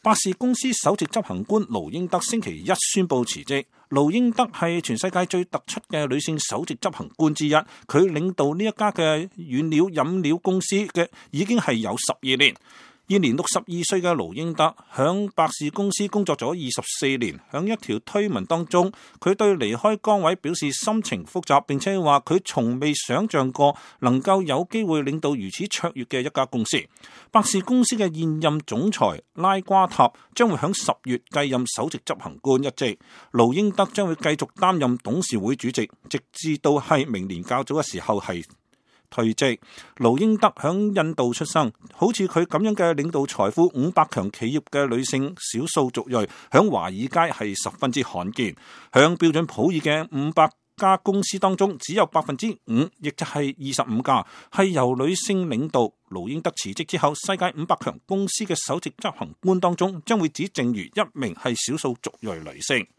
百事公司首席執行官盧英德星期一宣布辭職。盧英德係全世界最突出嘅女性首席執行官之一，佢領導呢一家嘅軟料飲料公司嘅已經係有12年。現年62歲嘅盧英德響百事公司工作咗24年，響一條推文當中，佢對離開崗位表示心情複雜，並且話佢從未想象過能夠有機會領導如此卓越嘅一家公司。百事公司嘅現任總裁拉瓜塔將會響10月繼任首席執行官一職，盧英德將會繼續擔任董事會主席，直至到係明年較早嘅時候係退職。盧英德響印度出生，好似佢咁樣嘅領導財富500強企業嘅女性少數族裔，響華爾街係十分之罕見。響標準普爾嘅500家公司當中，只有5%，亦就係25家係由女性領導。盧英德辭職之後，世界500強公司嘅首席執行官當中，將會只剩餘1名係少數族裔女性。